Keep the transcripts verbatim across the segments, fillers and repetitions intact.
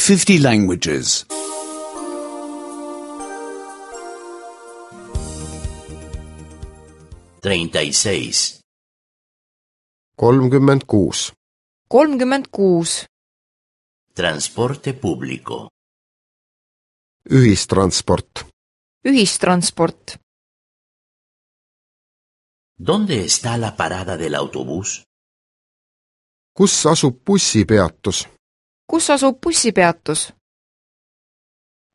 fifty languages. treinta y seis. kolmkümmend kuus. kolmkümmend kuus. Transporte público. Ühistransport. Ühistransport. ¿Dónde está la parada del autobús? Kus asub bussipeatus? Kus asub bussipeatus?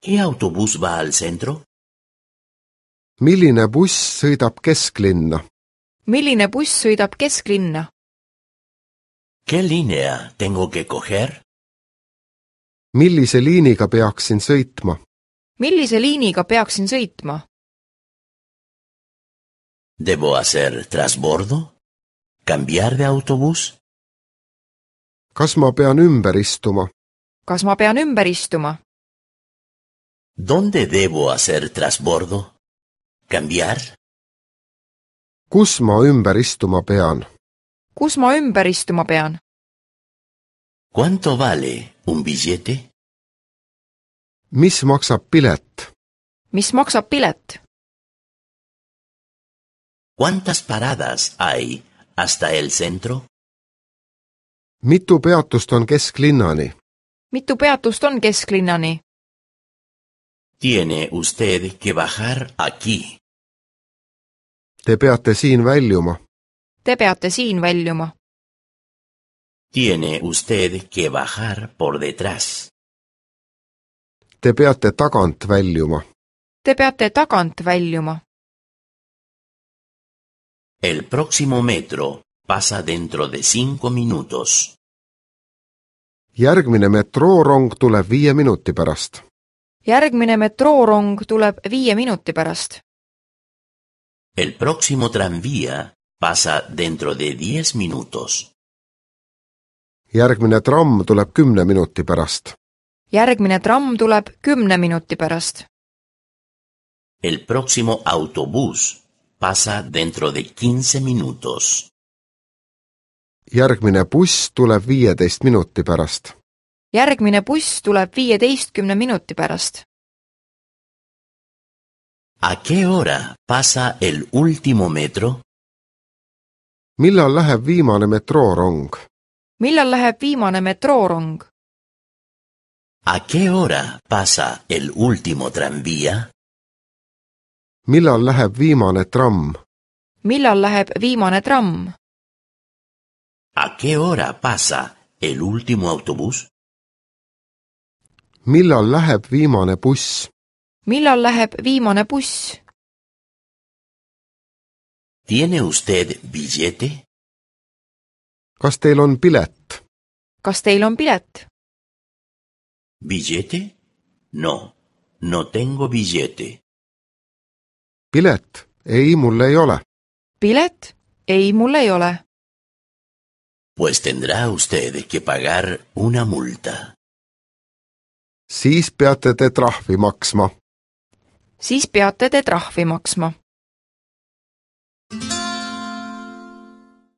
¿Qué autobús va al centro? Milline buss sõidab kesklinna? Milline buss sõidab kesklinna? ¿Qué línea tengo que coger? Millise liiniga peaksin sõitma? Millise liiniga peaksin sõitma? ¿Debo hacer trasbordo? ¿Cambiar de autobús? Kas ma pean ümber istuma? Kas ma pean ümber istuma? ¿Dónde debo hacer trasbordo? ¿Cambiar? Kus ma ümber istuma pean? Kus ma ümber istuma pean? ¿Cuánto vale un billete? Mis maksab pilet? Mis maksab pilet? ¿Cuántas paradas hay hasta el centro? Mitu peatust on kesklinnani? Mitu peatust on kesklinnani? Tiene usted que bajar aquí. Te peate siin väljuma. Te peate siin väljuma. Tiene usted que bajar por detrás. Te peate tagant väljuma. Te peate tagant väljuma. El próximo metro pasa dentro de cinco minutos. Järgmine metroorong tuleb viie minuti pärast. Järgmine metroorong tuleb viie minuti pärast. El próximo tranvía pasa dentro de diez minutos. Järgmine tramm tuleb kümne minuti pärast. Järgmine tramm tuleb kümne minuti pärast. El próximo autobús pasa dentro de quince minutos. Järgmine buss tuleb viieteist minuti pärast. Järgmine buss tuleb viieteistkümne minuti pärast. ¿A qué hora pasa el último metro? Millal läheb viimane metroorong? Millal läheb viimane metroorong? ¿A qué hora pasa el último tranvía? Millal läheb viimane tramm? Millal läheb viimane tramm? ¿A qué hora pasa el último autobús? Millal läheb viimane buss? Millal läheb viimane buss? ¿Tiene usted billete? Kas teil on pilet? Kas teil on pilet? ¿Billete? No, no tengo billete. Pilet? Ei, mul ei ole. Pilet? Ei, mul ei ole. Pues tendrá usted que pagar una multa. Siis peate te trahvi maksma. Siis peate te trahvi maksma.